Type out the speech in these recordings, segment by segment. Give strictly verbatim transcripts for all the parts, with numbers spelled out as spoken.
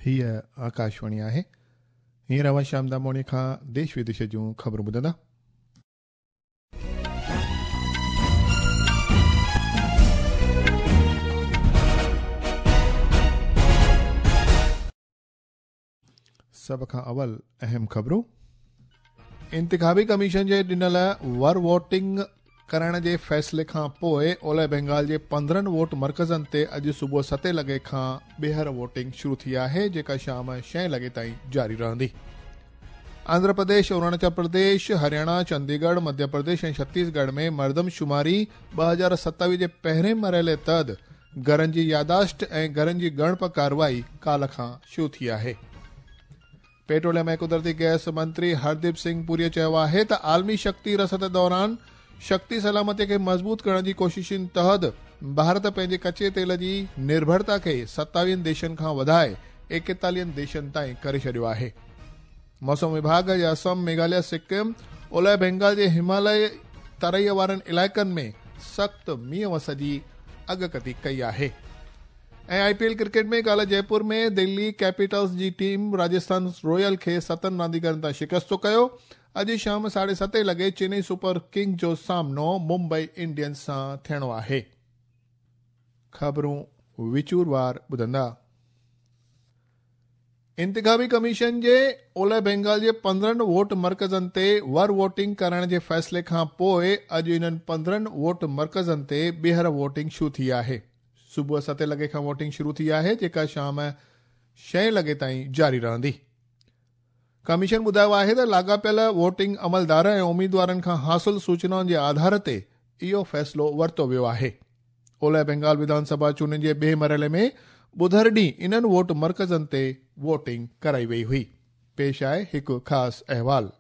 हीअ आकाशवाणी आहे। हींअर अवां शाम दामोणी खां देश विदेश जूं ख़बरूं ॿुधंदा। सभ खां अवल अहम ख़बरूं। इंतिखाबी कमीशन जे ॾिनल वर वोटिंग करण जे फ़ैसिले खां पोइ ओलह बंगाल जे पंद्रहं वोट मर्कज़नि ते अॼु सुबुह सते लॻे खां ॿीहर वोटिंग शुरू थी आहे, जेका शाम छह लॻे ताईं जारी रहंदी। आंध्र प्रदेश, अरुणाचल प्रदेश, हरियाणा, चंडीगढ़, मध्य प्रदेश ऐं छत्तीसगढ़ में मर्दमशुमारी ॿ हज़ार सतावीह जे पहिरें मरहले तहत घरनि जी यादाश्त ऐं घरनि जी ॻणप कार्रवाई काल्ह खां शुरू थी आहे। पेट्रोलियम ऐं कुदरती गैस मंत्री हरदीप सिंह पुरीअ चयो आहे त आलमी शक्ति रसद दौरान शक्ति सलामती खे मज़बूत करण जी कोशिशुनि तहत भारत पंहिंजे कच्चे तेल जी निर्भरता खे सतावीहनि देशनि खां वधाए एकेतालीहनि देशनि ताईं करे छॾियो आहे। मौसम विभाग जे असम, मेघालय, सिक्किम, ओलह बंगाल जे हिमालय तरई वारनि इलाइक़नि में सख़्तु मींहुं वस जी अॻकथी कई आहे। ऐं I P L cricket में काल्ह जयपुर में दिल्ली कैपिटल्स जी टीम राजस्थान रॉयल खे सतनि रांदीगरनि तां शिकस्तो कयो। अॼु शाम साढे सते लॻे चेन्नई सुपर किंग जो सामनो मुंबई इंडियंस सां थियणो आहे। ख़बरूं विचूरवार ॿुधंदा। इंतिखाबी कमीशन जे ओलह बंगाल जे पंद्रहं वोट मर्कज़नि ते वर वोटिंग करण जे फ़ैसिले खां पोइ अॼु इन्हनि पंद्रहं वोट मर्कज़नि ते ॿीहर वोटिंग शुरू थी आहे। सुबुह सते लॻे खां वोटिंग शुरू थी आहे, जेका शाम छह लॻे ताईं जारी रहंदी। कमीशन ॿुधायो आहे त लाॻापियल वोटिंग अमलदार ऐं उम्मीदवारनि खां हासिल सूचनाउनि जे आधार ते इहो फ़ैसिलो वरितो वियो आहे। ओलह बंगाल विधानसभा चूंडनि जे ॿिए मरहले में ॿुधर ॾींहुं इन्हनि वोट मर्कज़नि ते वोटिंग कराई वई हुई। पेश आहे हिकु ख़ासि अहवाल।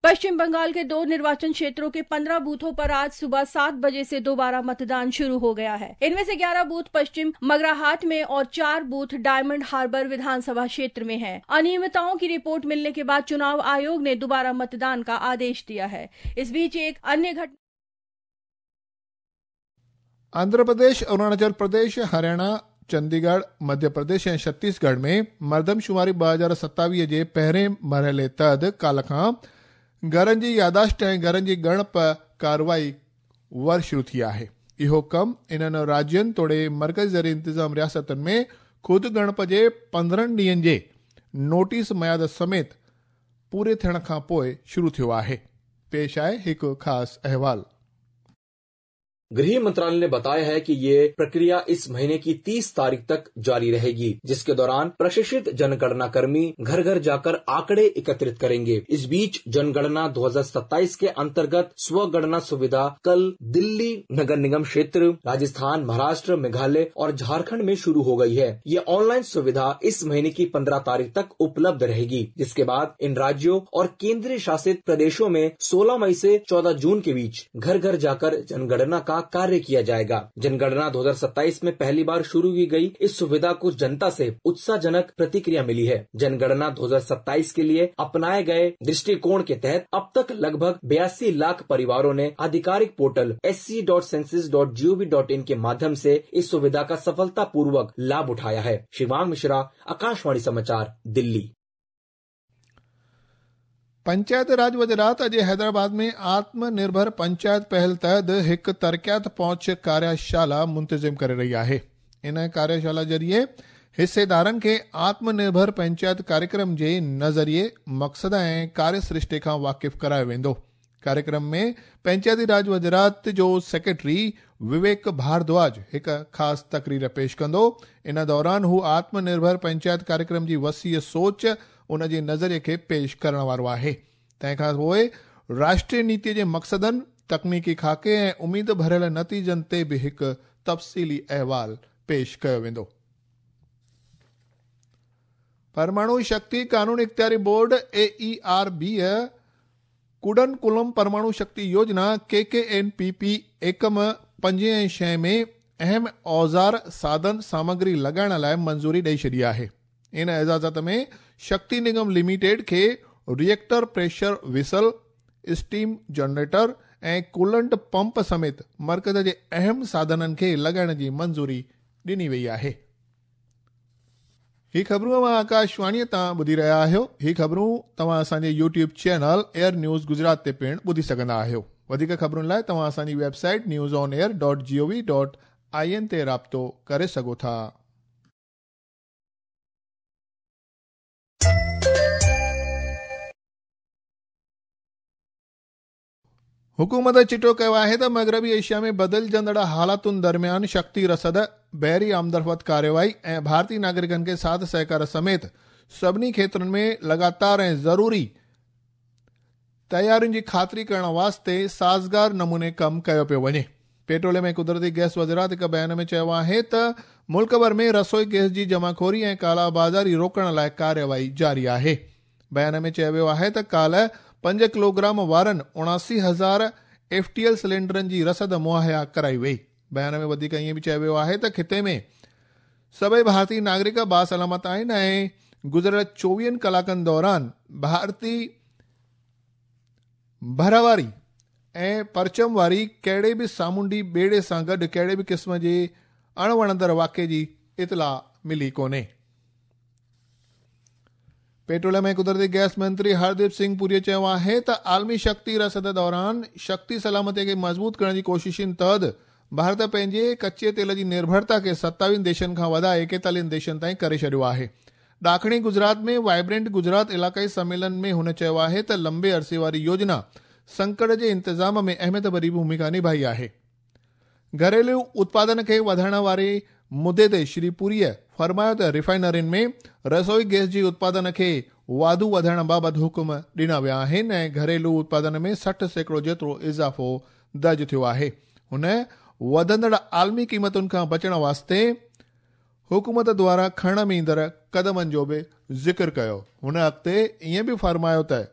पश्चिम बंगाल के दो निर्वाचन क्षेत्रों के पंद्रह बूथों पर आज सुबह सात बजे से दोबारा मतदान शुरू हो गया है। इनमें से ग्यारह बूथ पश्चिम मगराहाट में और चार बूथ डायमंड हार्बर विधानसभा क्षेत्र में हैं। अनियमितताओं की रिपोर्ट मिलने के बाद चुनाव आयोग ने दोबारा मतदान का आदेश दिया है। इस बीच एक अन्य घटना आंध्र प्रदेश, अरुणाचल प्रदेश, हरियाणा, चंडीगढ़, मध्य प्रदेश ऐं छत्तीसगढ़ में मर्दमशुमारी ॿ हज़ार सतावीह जे पहिरें मरहले तहत काल्ह खां घरनि जी यादाश्त ऐं घरनि जी ॻणप कार्रवाई वर शुरू थी आहे। इहो कमु इन्हनि राज्यनि तोड़े मर्कज़ी ज़रिए इंतिज़ाम रियासतुनि में ख़ुदि ॻणप जे पंद्रहं ॾींहनि जे नोटिस मयाद समेत पूरे थियण खां पोइ शुरू थियो आहे। पेश आहे हिकु ख़ासि अहवाल। गृह मंत्रालय ने बताया है कि ये प्रक्रिया इस महीने की तीस तारीख तक जारी रहेगी, जिसके दौरान प्रशिक्षित जनगणना कर्मी घर घर जाकर आंकड़े एकत्रित करेंगे। इस बीच जनगणना दो हज़ार सत्ताईस के अंतर्गत स्वगणना सुविधा कल दिल्ली नगर निगम क्षेत्र, राजस्थान, महाराष्ट्र, मेघालय और झारखंड में शुरू हो गई है। ये ऑनलाइन सुविधा इस महीने की पंद्रह तारीख तक उपलब्ध रहेगी, जिसके बाद इन राज्यों और केंद्रीय शासित प्रदेशों में सोलह मई से चौदह जून के बीच घर घर जाकर जनगणना का कार्य किया जाएगा। जनगणना दो हज़ार सत्ताईस में पहली बार शुरू की गई इस सुविधा को जनता से उत्साहजनक प्रतिक्रिया मिली है। जनगणना दो हज़ार सत्ताईस के लिए अपनाए गए दृष्टिकोण के तहत अब तक लगभग बयासी लाख परिवारों ने आधिकारिक portal S C dot census dot G O V dot in के माध्यम से इस सुविधा का सफलतापूर्वक लाभ उठाया है। शिवांग मिश्रा, आकाशवाणी समाचार, दिल्ली। पंचायत राज वज़ारत अॼु हैदराबाद में आत्मनिर्भर पंचायत पहल तहत हिकु तरक़ियात पहुंच कार्यशाला मुंतज़िम करे रही आहे। इन कार्यशाला ज़रिए हिस्सेदारनि खे आत्मनिर्भर पंचायत कार्यक्रम जे नज़रिए, मक़सद ऐं कार्यसृष्टि खां वाक़िफ़ करायो वेंदो। कार्यक्रम में पंचायती राज वज़ारत जो सेक्रेटरी विवेक भारद्वाज हिकु ख़ासि तकरीर पेश कंदो। इन दौरान हू आत्मनिर्भर पंचायत कार्यक्रम जी वसीअ सोच, उन जे नज़रिए खे पेश करण वारो आहे। तंहिंखां पोइ राष्ट्रीय नीतीअ जे मक़सदनि, तकनीकी खाके ऐं उमेद भरियल नतीजनि ते बि हिकु तफ़सीली अहवाल पेश कयो वेंदो। परमाणु शक्ति कानून इख़्तियारी board A E R B Kudankulam परमाणु शक्ति योजना के के एन पी पी एकम पंजे ऐं छह में अहम औज़ार, साधन, सामग्री लॻाइण लाइ मंज़ूरी ॾेई छॾी आहे। इन इजाज़त में शक्ति निगम लिमिटेड खे reactor pressure vessel, steam generator ऐं कूलेंट पंप समेत मर्कज़ जे अहम साधननि खे लॻाइण जी मंज़ूरी ॾिनी वई आहे। ही ख़बरूं अव्हां आकाशवाणीअ तां ॿुधी रहिया आहियो। ही ख़बरूं तव्हां असांजे YouTube channel Air News Gujarat ते पिणु ॿुधी सघंदा आहियो। वधीक ख़बरुनि लाइ तव्हां असांजी website news on air dot G O V dot I N ते राब्तो करे सघो था। हुकूमत चिटो कयो आहे त मग़रबी एशिया में बदिलजंदड़ हालातुनि दरमियान शक्ति रसद, बहरी आमदरफ़्त कार्रवाई ऐं भारतीय नागरिकनि खे साथ सहकार समेत सभिनी क्षेत्रनि में लगातार ऐं ज़रूरी तयारियुनि जी ख़ातिरी करण वास्ते साज़गार नमूने कमु कयो पियो वञे। पेट्रोलियम ऐं कुदरती गैस वज़ारत हिकु बयान में चयो आहे त मुल्क भर में रसोई गैस जी जमाखोरी ऐं काला बाज़ारी रोकण लाइ कार्रवाई जारी आहे। बयान में चयो वियो आहे त काल्ह पंज किलोग्राम वारनि उणासी हज़ार एफ टी एल सिलेंडरनि जी रसद मुहैया कराई वई। बयान में वधीक ईअं बि चयो वियो आहे त ख़िते में सभई भारतीय नागरिक बासलामत आहिनि ऐं गुज़िरियल चोवीहनि कलाकनि दौरान भारतीय भर वारी ऐं परचम वारी कहिड़े बि सामुंडी ॿेड़े सां गॾु कहिड़े बि क़िस्म जे अणवणंदड़ वाक़े जी इतला मिली कोन्हे। पेट्रोलियम ऐं कुदरती गैस मंत्री हरदीप सिंह पुरीअ चयो आहे त आलमी शक्ति रसद दौरान शक्ति सलामतीअ खे मज़बूत करण जी कोशिशुनि तहत भारत पंहिंजे कच्चे तेल जी निर्भरता खे सत्तावीहनि देशनि खां वधाए एकेतालीहनि देशनि ताईं करे छॾियो आहे। ॾाखिणी गुजरात में वाइब्रेंट गुजरात इलाक़ाई सम्मेलन में हुन चयो आहे त लंबे अरसे वारी योजना संकट जे इंतज़ाम में अहमियत भरी भूमिका निभाई आहे। घरेलू उत्पादन खे वधाइण वारे मुद्दे ते श्री पुरीअ फरमायो त रिफाइनरियुनि में रसोई गैस जी उत्पादन खे वाधू वधाइण बाबति हुकुम ॾिना विया आहिनि ऐं घरेलू उत्पादन में सठि सैकड़ो जेतिरो इज़ाफ़ो दर्ज थियो आहे। हुन वधंदड़ आलमी क़ीमतुनि खां बचण वास्ते हुकूमत द्वारा खणण में ईंदड़ क़दमनि जो बि ज़िक्र कयो। हुन अॻिते ईअं बि फरमायो त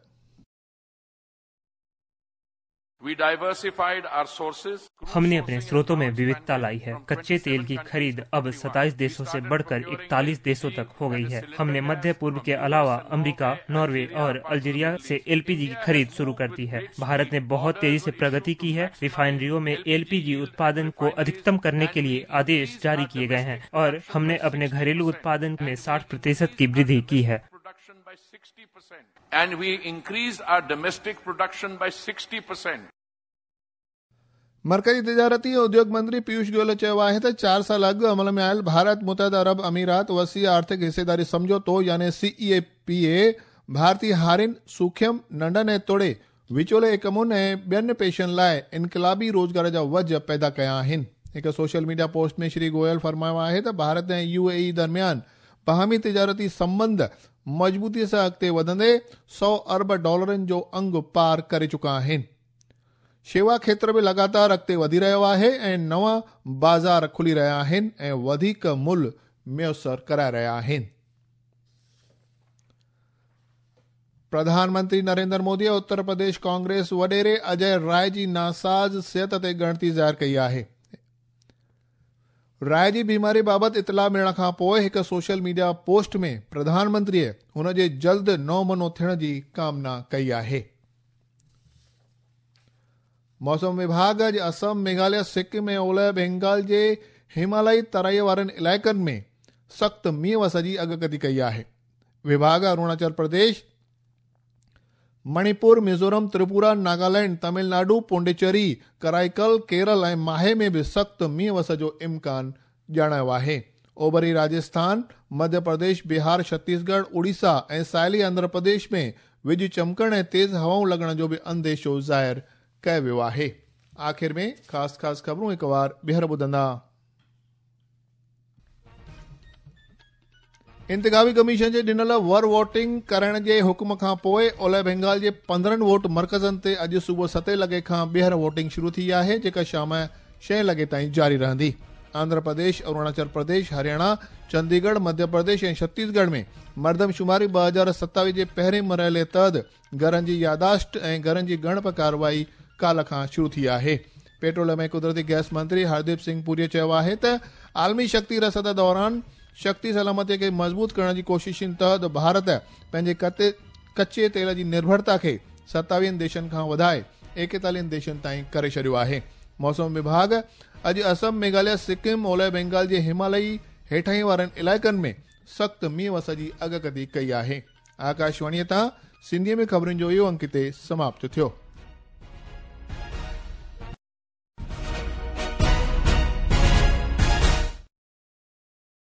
We diversified our sources. हमने अपने स्रोतों में विविधता लाई है। कच्चे तेल की खरीद अब सत्ताईस देशों से बढ़कर इकतालीस देशों तक हो गई है। हमने मध्य पूर्व के अलावा अमेरिका, नॉर्वे और अल्जीरिया से एलपीजी की खरीद शुरू कर दी है। भारत ने बहुत तेजी से प्रगति की है। रिफाइनरियों में एलपीजी उत्पादन को अधिकतम करने के लिए आदेश जारी किए गए हैं और हमने अपने घरेलू उत्पादन में साठ प्रतिशत की वृद्धि की है। And we increased our domestic production by sixty percent. मरकज़ी तिजारती उद्योग मंत्री पीयूष गोयल चयो आहे त चारि साल अॻु अमल में आयल भारत मुतहद अरब अमीरात वसी आर्थिक हिस्सेदारी सम्झौतो यानी C E A P A भारतीय हारियुनि, सूखम, नंढनि ऐं तोड़े विचोले इकमुनि ऐं ॿियनि पेशनि लाइ इनकलाबी रोज़गार जा वज पैदा कया आहिनि। हिकु सोशल मीडिया पोस्ट में श्री गोयल फरमायो आहे त भारत ऐं यू ए ई दरमियान बाहमी तिजारती संबंध मज़बूतीअ सां अॻिते वधंदे सौ अरब डॉलरनि जो अंग पार करे चुका आहिनि। शेवा क्षेत्र बि लगातार अॻिते वधी रहियो आहे ऐं नवां बाज़ार खुली रहिया आहिनि ऐं वधीक मुल्ह मुयसर कराए रहिया आहिनि। प्रधानमंत्री नरेंद्र मोदी उत्तर प्रदेश कांग्रेस वॾेरे अजय राय जी नासाज़ सिहत ते ॻणती ज़ाहिर कई आहे। राय जी बीमारी बाबति इतला मिलण खां पोइ हिकु सोशल मीडिया पोस्ट में प्रधानमंत्रीअ हुन जे जल्द नओ मनो थियण जी कामना कई आहे। मौसम विभाग अॼु असम, मेघालय, सिक्किम ऐं ओलह बंगाल जे हिमालयी तराईअ वारनि इलाइक़नि में सख़्तु मींहुं वस जी अॻकथी कई आहे। विभाग अरुणाचल प्रदेश, मणिपुर, मिज़ोरम, त्रिपुरा, नागालैंड, तमिलनाडु, पोंडिचेरी, कराईकल, केरल ऐं माहे में बि सख़्तु मींहुं वस जो इम्कान ॼाणायो आहे। ओभरी राजस्थान, मध्य प्रदेश, बिहार, छत्तीसगढ़, उड़ीसा ऐं साहिली आंध्र प्रदेश में विज चमकण ऐं तेज़ हवाऊं लॻण जो बि अंदेशो ज़ाहिर कयो वियो आहे। आख़िर में ख़ासि ख़ासि ख़बरूं हिकु वार ॿीहर ॿुधंदा। इंतिखाबी कमीशन जे ॾिनल वर वोटिंग करण जे हुकुम खां पोइ ओलह बंगाल जे पंद्रहं वोट मर्कज़नि ते अॼु सुबुह सते लॻे खां ॿीहर वोटिंग शुरू थी आहे, जेका शाम छह लॻे ताईं जारी रहंदी। आंध्र प्रदेश, अरुणाचल प्रदेश, हरियाणा, चंडीगढ़, मध्य प्रदेश ऐं छत्तीसगढ़ में मर्दमशुमारी ॿ हज़ार सतावीह जे पहिरें मरहले तहत घरनि जी यादाश्त ऐं घरनि जी ॻणप कार्रवाई काल्ह खां शुरू थी आहे। पेट्रोलियम ऐं कुदरती गैस मंत्री हरदीप सिंह पुरीअ चयो आहे त आलमी शक्ति रसद दौरान शक्ति सलामतीअ खे मज़बूत करण जी कोशिशुनि तहत भारत पंहिंजे कच्चे तेल जी निर्भरता खे सतावीहनि देशनि खां वधाए एकेतालीहनि देशनि ताईं करे छॾियो आहे। मौसम विभाग अॼु असम, मेघालय, सिक्किम, ओलह बंगाल जे हिमालयी हेठाई वारनि इलाइक़नि में सख़्तु मींहुं वस जी अॻकथी कई आहे। आकाशवाणीअ तां सिंधीअ में ख़बरुनि जो इहो अंक हिते समाप्त थियो।